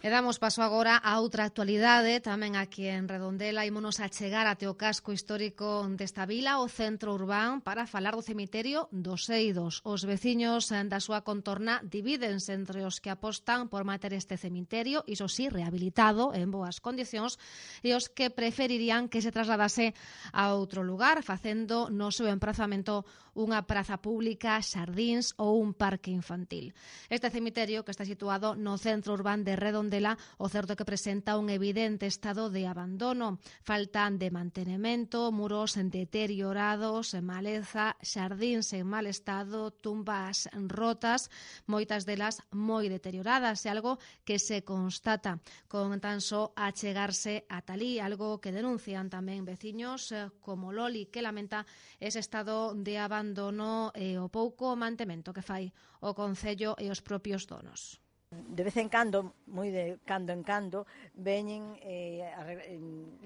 E damos paso agora a outra actualidade, tamén aquí en Redondela. Ímonos a chegar até o casco histórico desta vila, o centro urbán, para falar do cemiterio dos Eidos. Os veciños da súa contorna divídense entre os que apostan por manter este cemiterio, iso sí, rehabilitado, en boas condicións, e os que preferirían que se trasladase a outro lugar, facendo no seu emprazamento unha praza pública, xardíns ou un parque infantil. Este cemiterio, que está situado no centro urbán de Redondela, o certo é que presenta un evidente estado de abandono. Faltan de mantenemento, muros deteriorados, maleza, xardíns en mal estado, tumbas rotas, moitas delas moi deterioradas, é algo que se constata con tan só achegarse a talí, algo que denuncian tamén veciños como Loli, que lamenta ese estado de abandono e o pouco mantemento que fai o Concello e os propios donos. De vez en cando, moi de cando en cando, veñen e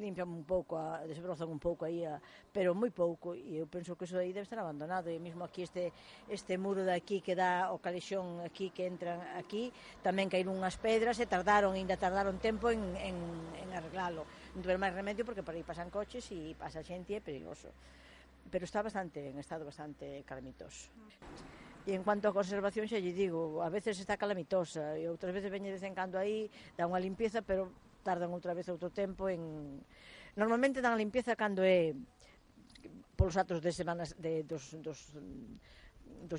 limpian un pouco, desbrozan un pouco aí, pero moi pouco, e eu penso que iso aí debe estar abandonado. E mesmo aquí este muro de aquí que dá o calexón aquí, que entran aquí, tamén caíron unhas pedras e ainda tardaron tempo en arreglalo. Non tuveron máis remedio porque por aí pasan coches e pasa xente e é perigoso. Pero está en estado bastante calamitoso. E en cuanto a conservación, xa lle digo, a veces está calamitosa e outras veces veñe de vez en cando aí, dá unha limpieza, pero tardan outra vez outro tempo en... Normalmente dan a limpieza cando é polos atos de semanas dos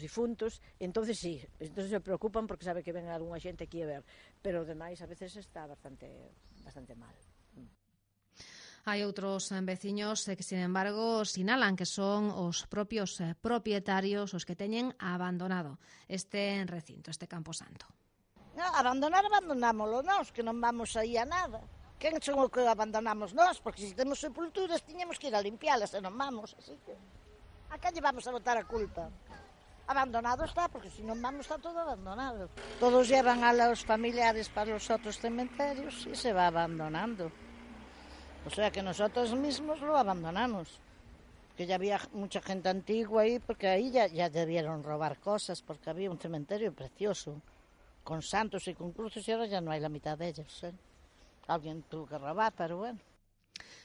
difuntos, entonces sí, entonces se preocupan porque sabe que ven algunha xente aquí a ver, pero demais a veces está bastante mal. Hai outros veciños que, sin embargo, sinalan que son os propios propietarios os que teñen abandonado este recinto, este camposanto. No, abandonámoslo nós, que non vamos aí a nada. Quen son o que abandonamos nós? Porque se temos sepulturas, tiñamos que ir a limpialas e non vamos, así que... A que lle vamos a botar a culpa? Abandonado está, porque se non vamos está todo abandonado. Todos llevan a los familiares para os outros cementerios e se va abandonando. O sea que nosotros mismos lo abandonamos. Que ya había mucha gente antigua ahí, porque ahí ya debieron robar cosas, porque había un cementerio precioso, con santos y con cruces, y ahora ya no hay la mitad de ellos. Alguien tuvo que robar, pero bueno.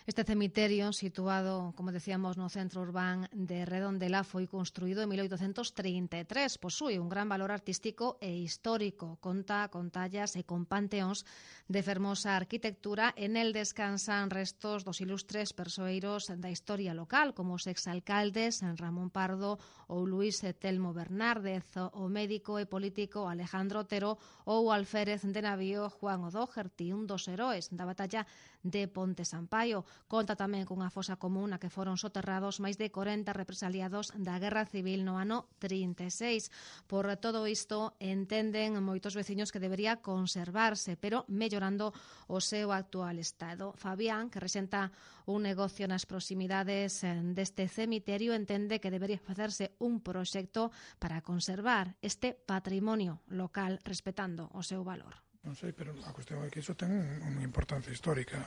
Este cemiterio, situado, como decíamos, no centro urbán de Redondela, foi construído en 1833. Posúe un gran valor artístico e histórico. Conta con tallas e con panteóns de fermosa arquitectura. En el descansan restos dos ilustres persoeiros da historia local, como os exalcaldes Ramón Pardo ou Luís Telmo Bernárdez, o médico e político Alejandro Otero ou o alférez de navío Juan O'Doherty, un dos heróis da batalla de Ponte Sampaio. Conta tamén cunha fosa común na que foron soterrados máis de 40 represaliados da Guerra Civil no ano 36. Por todo isto, entenden moitos veciños que debería conservarse, pero mellorando o seu actual estado. Fabián, que rexenta un negocio nas proximidades deste cemiterio, entende que debería facerse un proxecto para conservar este patrimonio local respetando o seu valor. Non sei, pero a cuestión é que iso ten unha importancia histórica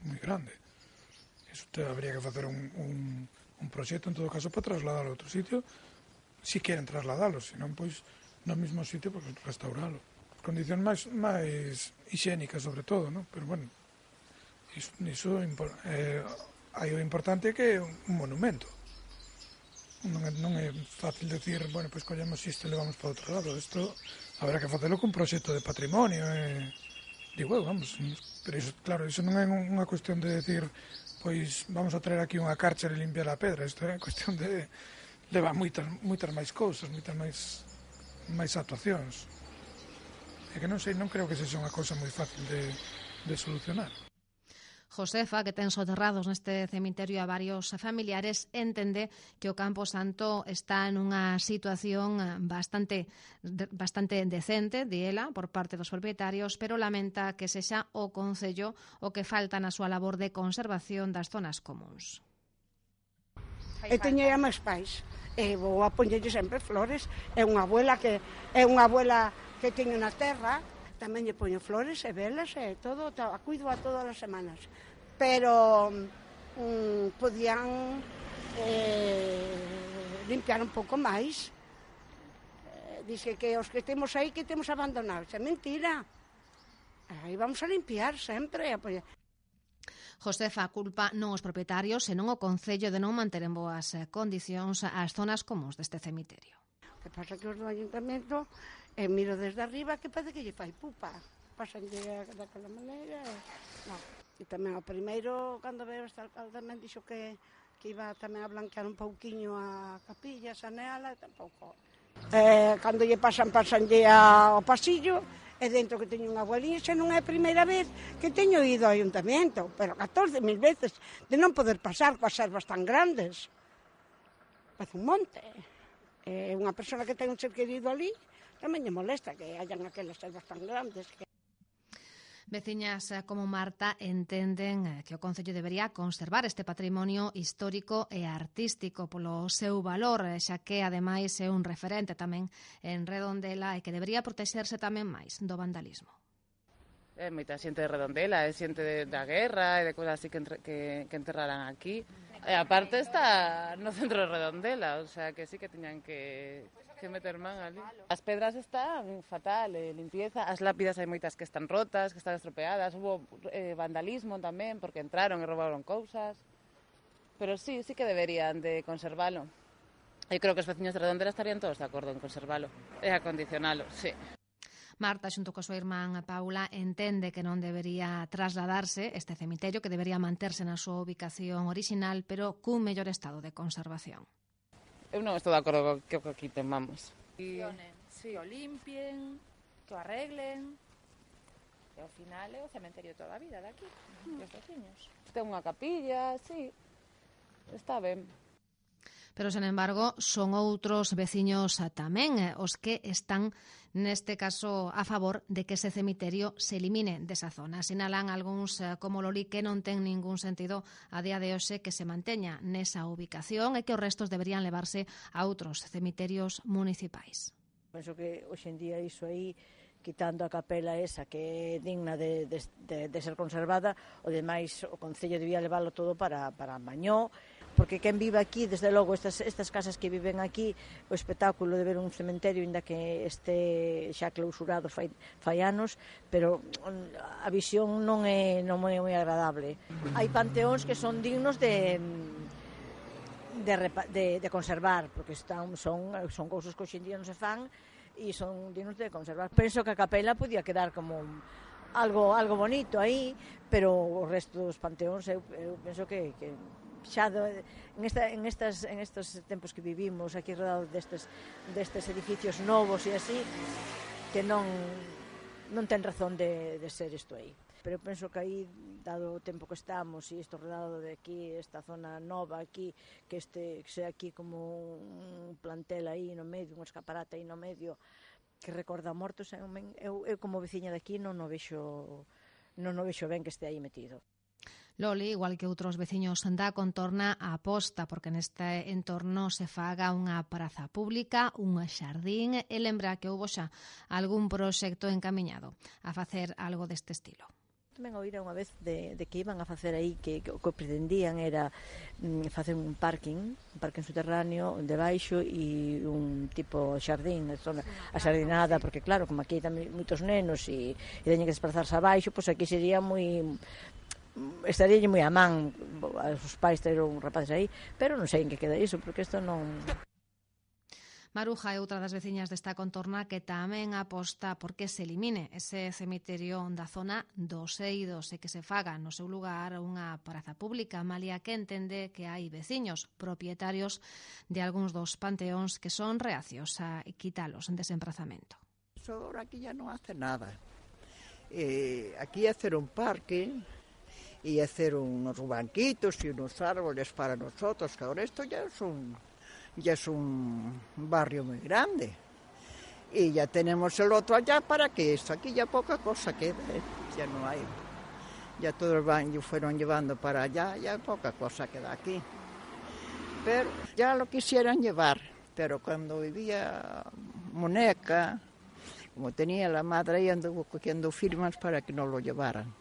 moi grande. Iso habría que facer un proxecto, en todo caso, para trasladalo a outro sitio, si queren trasladalo, senón, pois, no mesmo sitio, pois, restauralo. Condicións máis higiénicas, sobre todo, non? Pero, bueno, iso hai o importante que é un monumento. Non é fácil decir, bueno, pois collemos isto e levamos para outro lado. Isto habrá que facelo con proxecto de patrimonio, digo, vamos, pero iso, claro, iso non é unha cuestión de decir, pois vamos a traer aquí unha cárcere e limpiar a pedra. Isto é cuestión de levar moitas máis cousas, moitas máis actuacións. É que non sei, non creo que sexa unha cousa moi fácil de solucionar. Josefa, que ten soterrados neste cemiterio a varios familiares, entende que o Campo Santo está en unha situación bastante decente, di ela, por parte dos propietarios, pero lamenta que sexa o Concello o que falta na súa labor de conservación das zonas comuns. E teño a máis pais, e vou a poñerlle sempre flores. É unha abuela que teño na terra, tamén lle poño flores e velas e todo, a cuido a todas as semanas. Pero podían limpiar un pouco máis. Dice que os que temos aí que temos abandonados. É mentira. Aí vamos a limpiar sempre. Josefa culpa non os propietarios, senón o Concello de non manter en boas condicións as zonas comuns deste cemiterio. O que pasa que os do Ayuntamento, miro desde arriba que parece que lle fai pupa. Pasan daquela maneira. No. E tamén o primeiro, cando veo este alcalde, tamén dixo que iba tamén a blanquear un pouquiño a capilla, saneala, e tampouco. Cando lle pasanlle ao pasillo, e dentro que teño unha abueliña, xa non é a primeira vez que teño ido ao Ayuntamento, pero 14.000 veces, de non poder pasar coas servas tan grandes. Parece un monte. Unha persona que ten un ser querido ali, tamén lle molesta que hayan aquelas servas tan grandes. Veciñas como Marta entenden que o Concello debería conservar este patrimonio histórico e artístico polo seu valor, xa que ademais é un referente tamén en Redondela e que debería protexerse tamén máis do vandalismo. É moita xente de Redondela, é xente da guerra e de cousas así que enterraran aquí. E aparte está no centro de Redondela, o sea que sí que tiñan que meter man ali. As pedras están fatal, limpieza, as lápidas hai moitas que están rotas, que están estropeadas, hubo vandalismo tamén porque entraron e roubaron cousas. Pero sí que deberían de conservalo. Eu creo que os veciños de Redondela estarían todos de acordo en conservalo e acondicionalo, sí. Marta, xunto coa súa irmán Paula, entende que non debería trasladarse este cemiterio, que debería manterse na súa ubicación orixinal, pero cun mellor estado de conservación. Eu non estou de acordo co que aquí temamos. Que o limpien, que o arreglen, e ao final é o cementerio toda a vida daqui, dos veciños. Ten unha capilla, sí, está ben. Pero, sen embargo, son outros veciños tamén os que están, neste caso, a favor de que ese cemiterio se elimine desa zona. Sinalan algúns como Loli que non ten ningún sentido a día de hoxe que se manteña nesa ubicación e que os restos deberían levarse a outros cemiterios municipais. Penso que hoxe en día iso aí, quitando a capela esa que é digna de ser conservada, o demais o Concello debía leválo todo para Mañó, porque quen vive aquí, desde logo, estas casas que viven aquí, o espectáculo de ver un cementerio, ainda que este xa clausurado fai anos, pero a visión non é moi agradable. Hai panteóns que son dignos de conservar, porque son cousas que hoxe en día non se fan e son dignos de conservar. Penso que a capela podía quedar como algo bonito aí, pero o resto dos panteóns eu penso que xa en estes tempos que vivimos aquí rodeados destes edificios novos e así, que non ten razón de ser isto aí. Pero eu penso que aí, dado o tempo que estamos e isto rodado de aquí, esta zona nova aquí, que sea aquí como un plantel aí no medio, un escaparate aí no medio, que recorda mortos, eu como veciña de aquí non o vexo ben que este aí metido. Loli, igual que outros veciños da contorna, aposta porque neste entorno se faga unha praza pública, un xardín, e lembra que houbo xa algún proxecto encamiñado a facer algo deste estilo. Tamén oíra unha vez de que iban a facer aí, que o que pretendían era facer un parking subterráneo debaixo e un tipo xardín, a xardinada, porque claro, como aquí hai tamén moitos nenos e teñen que desplazarse abaixo, pois aquí sería estaríalle moi a man os pais ter un rapaces aí, pero non sei en que queda iso, porque isto non... Maruja é outra das veciñas desta contorna que tamén aposta porque se elimine ese cemiterio da zona dos Eidos e que se faga no seu lugar unha praza pública, malia que entende que hai veciños propietarios de algúns dos panteóns que son reacios a quitalos en desemprazamento. Ahora aquí ya no hace nada. Aquí hacer un parque y hacer unos banquitos y unos árboles para nosotros, que ahora esto ya es un barrio muy grande. Y ya tenemos el otro allá para que esto, aquí ya poca cosa queda, ya no hay. Ya todo el baño fueron llevando para allá, ya poca cosa queda aquí. Pero ya lo quisieran llevar, pero cuando vivía Moneca, como tenía la madre ahí, anduvo cogiendo firmas para que no lo llevaran.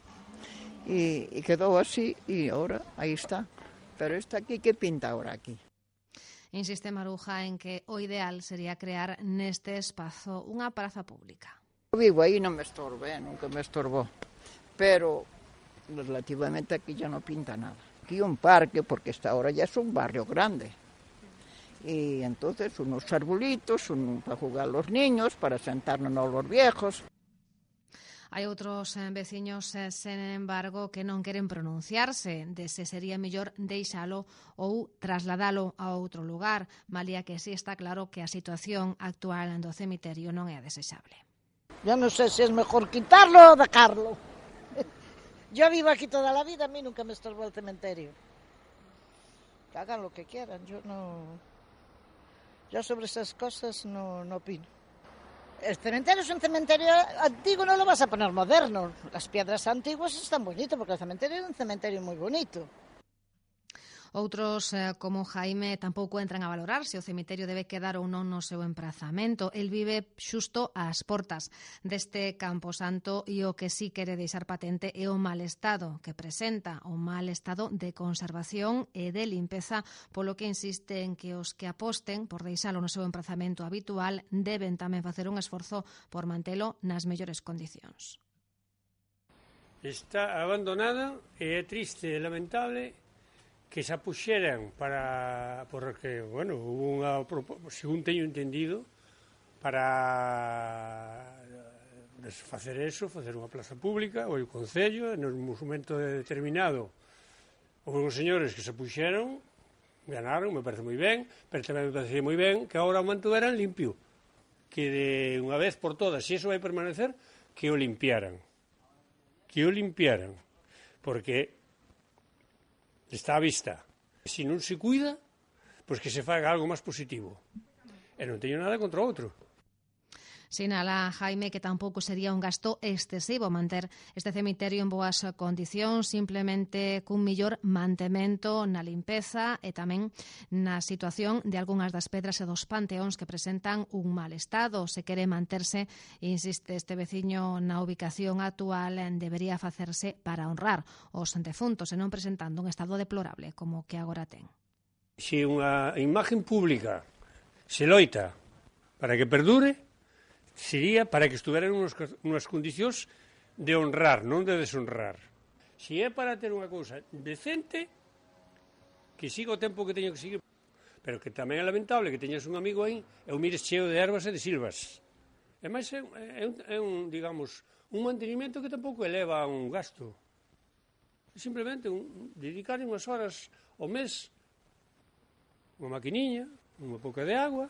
Y quedó así y ahora ahí está. Pero está aquí, ¿qué pinta ahora aquí? Insiste Maruja en que o ideal sería crear neste espazo unha praza pública. Vivo aí, non me estorbe, nunca me estorbó, pero relativamente aquí ya no pinta nada. Aquí un parque, porque esta ahora ya es un barrio grande. Y entonces unos arbolitos, para jugar los niños, para sentarnos los viejos. Hai outros veciños, sen embargo, que non queren pronunciarse de se sería mellor deixalo ou trasladalo a outro lugar, malia que sí está claro que a situación actual do cemiterio non é a desexable. Yo no sé si es mejor quitarlo o dejarlo. Yo vivo aquí toda la vida, a mí nunca me estorbó el cementerio. Que hagan lo que quieran, yo sobre esas cosas no opino. El cementerio es un cementerio antiguo, no lo vas a poner moderno. Las piedras antiguas están bonitas porque el cementerio es un cementerio muy bonito. Outros, como Jaime, tampouco entran a valorar se o cemiterio debe quedar ou non no seu emprazamento. El vive xusto ás portas deste camposanto e o que sí quere deixar patente é o mal estado que presenta, o mal estado de conservación e de limpeza, polo que insiste en que os que aposten por deixalo no seu emprazamento habitual deben tamén facer un esforzo por mantelo nas mellores condicións. Está abandonada e é triste e lamentable que se apuxeran porque, bueno, hubo unha, según teño entendido, para facer eso, facer unha plaza pública, ou o Concello, en un momento determinado, houve uns señores que se apuxeron, ganaron, me parece moi ben, pero tamén me parece moi ben que agora o mantuveran limpio, que de unha vez por todas, se iso vai permanecer, que o limpiaran, porque está á vista. Se non se cuida, pois que se faga algo máis positivo. E non teño nada contra outro. Sinala Jaime que tampouco sería un gasto excesivo manter este cemiterio en boas condicións, simplemente cun mellor mantemento na limpeza e tamén na situación de algunhas das pedras e dos panteóns que presentan un mal estado. Se quere manterse, insiste este veciño, na ubicación actual debería facerse para honrar os defuntos e non presentando un estado deplorable como que agora ten. Se unha imagen pública se loita para que perdure, sería para que estuveran unhas condicións de honrar, non de deshonrar. Se é para ter unha cousa decente, que siga o tempo que teño que seguir, pero que tamén é lamentable que teñas un amigo aí e o mires cheo de ervas e de silvas. E máis é un, digamos, un mantenimento que tampouco eleva un gasto. Simplemente dedicar unhas horas ao mes, unha maquiniña, unha pouca de agua.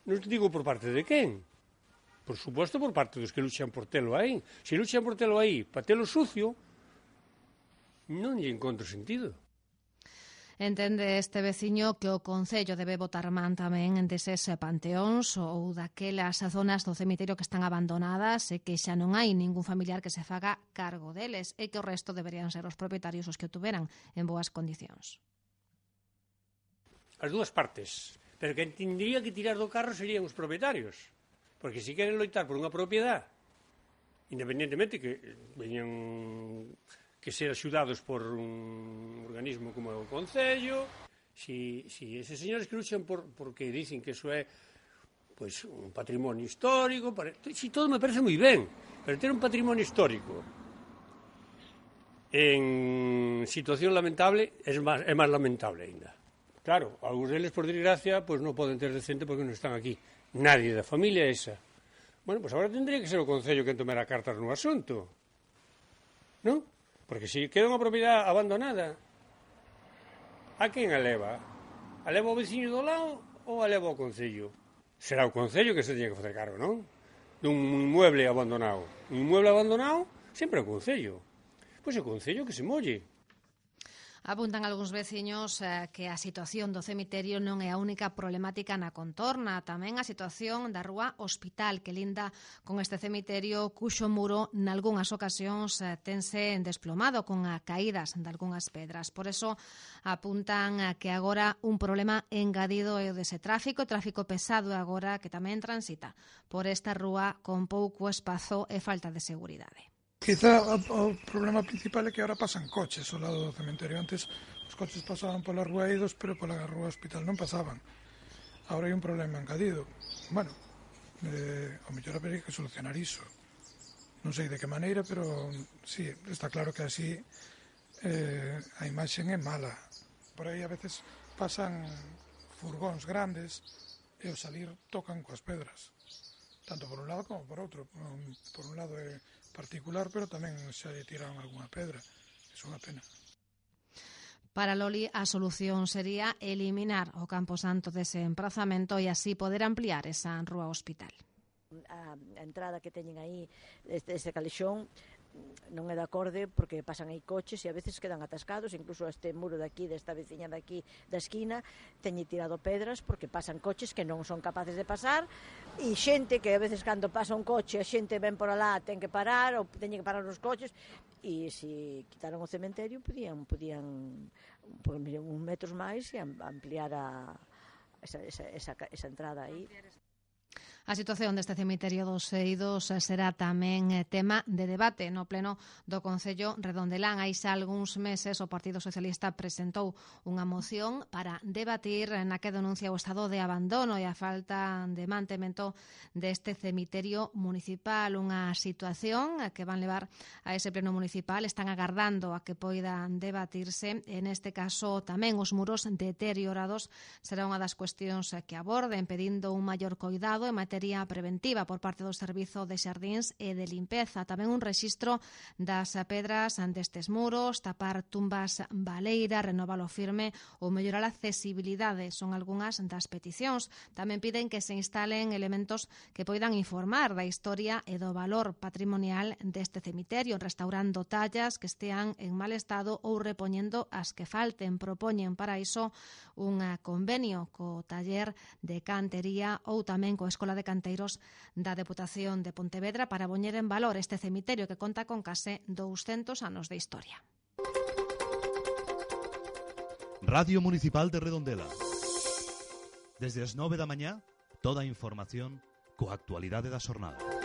Non te digo por parte de quen. Por suposto, por parte dos que luchan por telo aí. Se luchan por telo aí para telo sucio, non lle encontro sentido. Entende este veciño que o Concello debe botar man tamén deses panteóns ou daquelas zonas do cemiterio que están abandonadas e que xa non hai ningún familiar que se faga cargo deles e que o resto deberían ser os propietarios os que o tuveran en boas condicións. As dúas partes, pero quen tendría que tirar do carro serían os propietarios. Porque se queren loitar por unha propiedade, independentemente que veñan que ser axudados por un organismo como o Concello, si eses señores que luchan porque dicen que eso é pois, un patrimonio histórico, si todo me parece moi ben, pero ter un patrimonio histórico en situación lamentable é máis lamentable ainda. Claro, algúns deles, por desgracia, pois non poden ter decente porque non están aquí. Nadie da familia esa. Bueno, pois agora tendría que ser o Concello que tomara cartas no asunto. Non? Porque se queda unha propiedade abandonada, a quen a leva? A leva o veciño do lado ou a leva o Concello? Será o Concello que se teña que facer cargo, non? Dun inmueble abandonado. Un inmueble abandonado sempre é o Concello. Pois é o Concello que se molle. Apuntan algúns veciños que a situación do cemiterio non é a única problemática na contorna, tamén a situación da rúa Hospital que linda con este cemiterio cuxo muro nalgúnas ocasións tense desplomado con a caídas de algunhas pedras. Por eso apuntan que agora un problema engadido é o dese tráfico pesado agora que tamén transita por esta rúa con pouco espazo e falta de seguridade. Quizá o problema principal é que ahora pasan coches ao lado do cementerio. Antes os coches pasaban pola rúa Eidos, pero pola rúa Hospital non pasaban. Ahora hai un problema engadido. Bueno, Ao mellor habería que solucionar iso. Non sei de que maneira, pero sí, está claro que así a imaxe é mala. Por aí a veces pasan furgóns grandes e ao salir tocan coas pedras, tanto por un lado como por outro. Por un lado é particular, pero tamén se tiran algunha pedra. É unha pena. Para Loli, a solución sería eliminar o camposanto dese emprazamento e así poder ampliar esa rúa hospital. A entrada que teñen aí deste calexón non é de acorde porque pasan aí coches e a veces quedan atascados, incluso este muro de aquí, desta veciña de aquí da esquina, teñe tirado pedras porque pasan coches que non son capaces de pasar e xente que a veces cando pasa un coche a xente ven por alá, ten que parar ou teñen que parar os coches e se quitaron o cementerio podían uns metros máis e ampliar esa entrada aí. A situación deste cemiterio dos Eidos será tamén tema de debate no pleno do Concello Redondelán. Hai xa algúns meses o Partido Socialista presentou unha moción para debatir na que denuncia o estado de abandono e a falta de mantemento deste cemiterio municipal. Unha situación que van levar a ese pleno municipal. Están agardando a que poidan debatirse. En este caso tamén os muros deteriorados será unha das cuestións que aborden, pedindo un maior coidado en materia preventiva por parte do Servizo de Xardíns e de Limpeza. Tamén un rexistro das pedras destes muros, tapar tumbas baleiras, renovalo firme ou mellorar a accesibilidade. Son algunhas das peticións. Tamén piden que se instalen elementos que poidan informar da historia e do valor patrimonial deste cemiterio, restaurando tallas que estean en mal estado ou repoñendo as que falten. Propoñen para iso un convenio co taller de cantería ou tamén coa Escola de Canteiros da Deputación de Pontevedra para poñer en valor este cemiterio que conta con case 200 anos de historia. Radio Municipal de Redondela. Desde as 9 da mañá, toda a información coa actualidade da xornada.